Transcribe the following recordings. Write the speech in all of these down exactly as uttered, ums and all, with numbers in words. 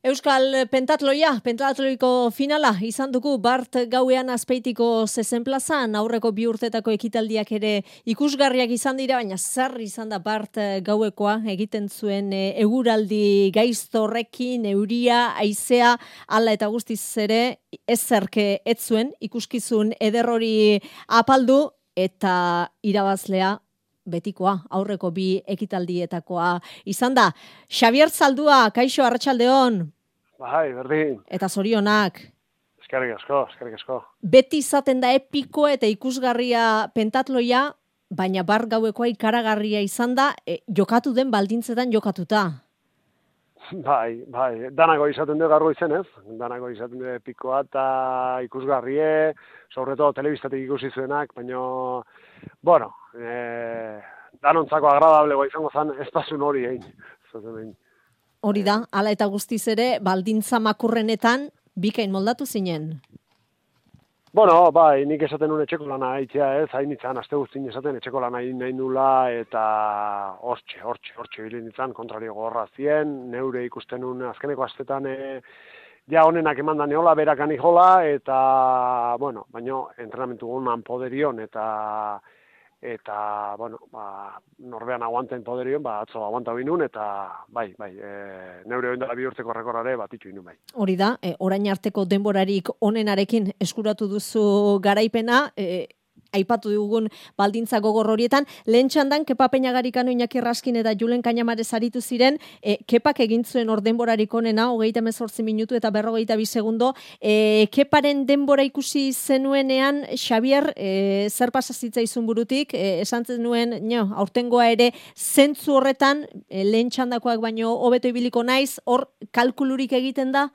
Euskal Pentatloia, Pentatloiko finala izan dugu Bart gauean Azpeitiko zezen plazan, aurreko bi urtetako ekitaldiak ere ikusgarriak izan dira, baina zer izan da Bart gauekoa egiten zuen e, eguraldi gaizto horrekin, euria, haizea, hala eta guztiz ere ezerke ez zuen ikuskizun ederrori apaldu eta irabazlea betikoa, aurreko bi ekitaldietakoa izan da. Xabier Zaldua, kaixo, arratsaldeon. Bai, berdin. Eta zorionak. Eskerrik asko, eskerrik asko. Beti izaten da epiko eta ikusgarria Pentatloia, baina Bart gauekoa ikaragarria izan da, e, jokatu den baldintzetan jokatuta. Bai, bai, danako izaten du garro izenez, danako izaten du epikoa eta ikusgarrie, sobre todo telebistatik ikusi zuenak, baina, bueno, eh, danontzako agradablego izango zen ez pasun hori egin. Zaten, Hori da, hala eta guztiz ere, baldintza makurrenetan bikain moldatu zinen. Bueno, bai, nik esaten nuen etxeko lana haitzea ez, hain nintzen, aste guztien esaten etxeko lana egin nahi nula, eta hortxe, hortxe, hortxe bilin nintzen, kontrario gorra zien, neure ikusten nuen azkeneko astetan, e, ja honenak eman da neola, berakan ijola, eta, bueno, baino, entrenamentu gunan poderion, eta, eta, bueno, ba, norbean aguanten poderion, ba, atzo aguanta binun, eta, bai, bai, e, neure oindala bi urteko rekorrare, bat itxu inun, bai. Hori da, e, orain arteko denborarik onenarekin eskuratu duzu garaipena, e, aipatu dugun baldintza gogor horietan, lehen txandan Kepa Peñagarikano, Iñaki Raskin eta Julen Cañamares aritu ziren, e, Kepak egin zuen hor denborarik onena, hogeita hemezortzi minutu eta berrogeita bi segundo, e, Keparen denbora ikusi zenuenean, Xabier, e, zer pasazitzaizun burutik, e, esan zenuen, no, aurtengoa ere, zentzu horretan, e, lehen txandakoak baino hobeto ibiliko naiz, hor kalkulurik egiten da?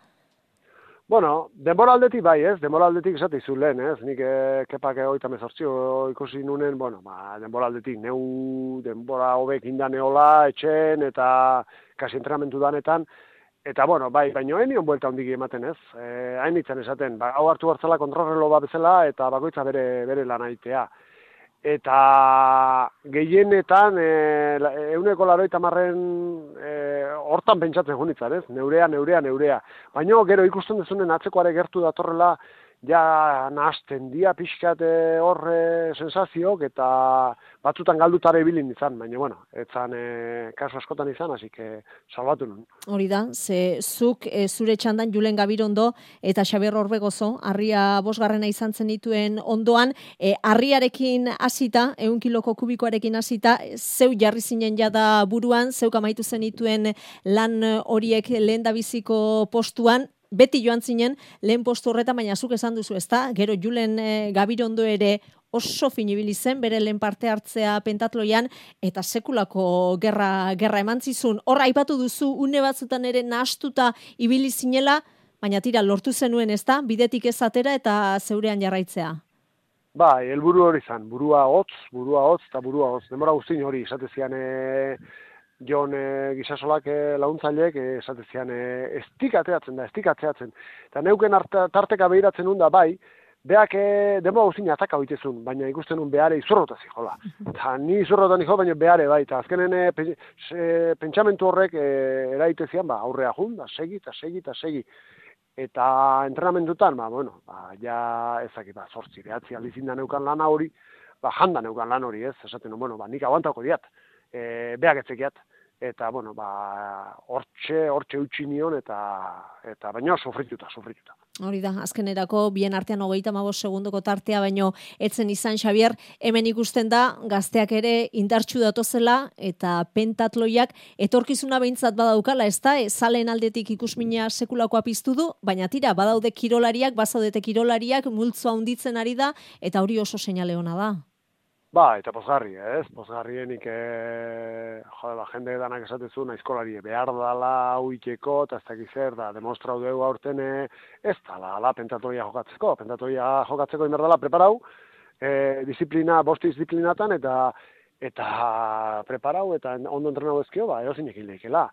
Bueno, denbora aldetik bai, ez? Denbora aldetik esatizu lehen, ez? Nik eh, kepak hogeita hemezortzi ikusi nunen, bueno, ba, denbora aldetik neu denbora hobek inda neola, etxen, eta kasi entrenamentu danetan, eta, bueno, bai, baino enion buelta hondik ematen, ez? Eh, hain nintzen esaten, ba, hau hartu hartzela kontrarrelo bat bezala, eta bakoitza bere, bere lan aitea. Eta gehienetan, e, euneko laroita marren e, hortan pentsatzen junitzan, ez? Neurea, neurea, neurea. Baina gero ikusten dezunen atzekoare gertu datorrela, ja nahasten dia pixkat horre sensazioak, eta batzutan galdutare ibilin izan, baina, bueno, etzan e, kasu askotan izan, hasi que salbatu nun. Hori da, ze zuk e, zure txandan Julen Gabirondo eta Xabier Orbegozo, harria bosgarrena izan zen dituen ondoan, e, harriarekin hasita, ehun kiloko kubikoarekin hasita, zeu jarri zinen jada buruan, zeuk amaitu zen dituen lan horiek lehendabiziko postuan, beti joan zinen lehen postu horretan, baina zuk esan duzu, ezta? Gero Julen e, Gabirondo ere oso finibili zen, bere lehen parte hartzea Pentatloian, eta sekulako gerra, gerra eman zizun. Horra aipatu duzu, une batzutan ere nahastuta ibili zinela, baina tira, lortu zenuen, ezta? Bidetik ez atera eta zeurean jarraitzea. Bai, helburu hori zan, burua hotz, burua hotz, eta burua hotz. Denbora guztin hori, esatezian e, Jon e, Gisasolak e, launtzaileek, e, esatezian e, estik ateatzen da, estik ateatzen. Eta neuken arte, tarteka behiratzen nun da, bai, beak e, denbora guztin ataka hoitezun, baina ikusten nun behare izurrota zijola. Eta ni izurrota nijo, baina behare bai, eta azkenen e, pe, se, pentsamentu horrek e, eraitezian, ba, aurrea jun, da, segi, eta segi, eta segi. Eta entrenamentutan, ba, bueno, ba, ja ezaki, ba, zortzi, behatzi aldizin da neukan lana hori, ba, janda neukan lan hori, ez, esaten, bueno, ba, nik aguantako diat, e, beak etzekiat, eta, bueno, ba, hortxe, hortxe utzi nion, eta, eta baina sufrituta, sufrituta. Hori da, azkenerako bien artean hogeita hamabost segundoko tartea, baino etzen izan, Xabier, hemen ikusten da, gazteak ere indartsu datozela, eta Pentatloiak etorkizuna behintzat badaukala, ez da, zalen aldetik ikusmina sekulakoa piztu du, baina tira, badaude kirolariak, bazaudete kirolariak, multzoa hunditzen ari da, eta hori oso seinale ona da. Ba, eta pozgarri, ez? Pozgarrienik, e, jode, ba, jende danak esatezu, naizkolari behar dala huiteko, eta ez dakiz zer, da, demostrau dugu aurten ez dala, la, Pentatloia jokatzeko, Pentatloia jokatzeko inber dala preparau, e, disiplina, bosti disiplinatan, eta eta preparau, eta ondo entrenau ezkio, ba, edo zinek hileikela.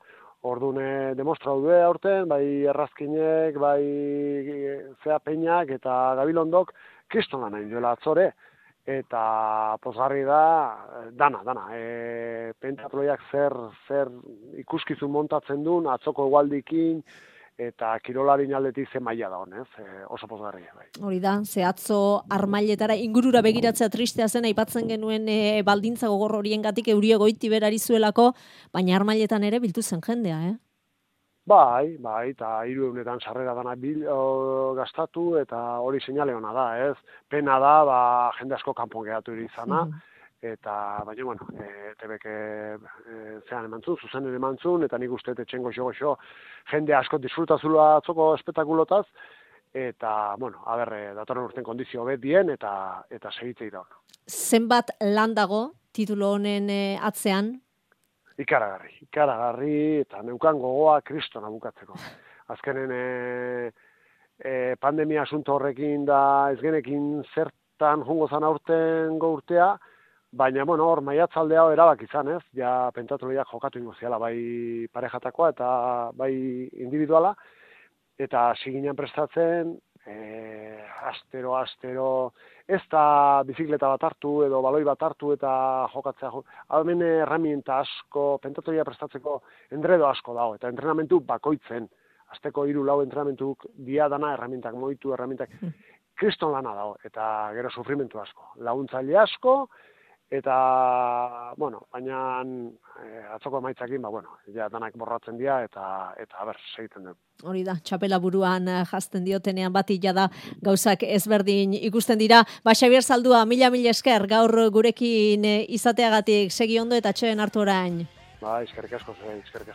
Orduan, demostrau dugu aurten, bai errazkinek, bai zea peñak, eta gabilondok, kriston lan hain duela atzore, eta pozgarri da, dana, dana. E, Pentatloiak zer, zer ikuskizun montatzen duen, atzoko egualdikin, eta kirolari aldetik ze maila da honez, e, oso pozgarria bai. Hori da, ze atzo armailetara ingurura begiratzea tristea zen aipatzen genuen e, baldintza gogor horiengatik euria goiti berari zuelako, baina armailetan ere biltu zen jendea, eh? Bai, bai, eta hiru eunetan sarrera dana bil, o, gastatu, eta hori seinale ona da, ez? Pena da, ba, jende asko kanpon geratu izana, mm -hmm. eta, baina, bueno, e, tebek e, zean emantzun, zuzenen emantzun, eta nik uste etxen goxo-goxo jende asko disfrutazula atzoko espetakulotaz, eta, bueno, aber, datorren urten kondizio bet dien, eta, eta segitzei da. Zenbat lan dago titulo honen e, atzean? Ikaragarri, ikaragarri, eta neukan gogoa kristona bukatzeko. Azkenen e, e, pandemia asunto horrekin da ez genekin zertan jongo zan aurten urtea, baina, bueno, hor maiatzaldea erabak izan, ez? Ja, pentsatu lehiak jokatu ingo ziala, bai parejatakoa eta bai individuala, eta siginan prestatzen, e, astero, astero, ez da bizikleta bat hartu edo baloi bat hartu eta jokatzea. Hemen erramienta asko, pentatoria prestatzeko endredo asko dago, eta entrenamentu bakoitzen, asteko hiru lau entrenamentuk dia dana erramientak moitu, erramientak, kriston lana dago, eta gero sufrimentu asko, laguntzaile asko, eta, bueno, baina e, atzoko emaitzakin, ba, bueno, ja danak borratzen dira, eta, eta ber, segiten dugu. Hori da, txapela buruan jazten diotenean bati jada gauzak ezberdin ikusten dira. Ba, Xabier Zaldua, mila mila esker, gaur gurekin izateagatik segi ondo eta atxeen hartu orain. Ba, eskerrik asko, eskerrik asko.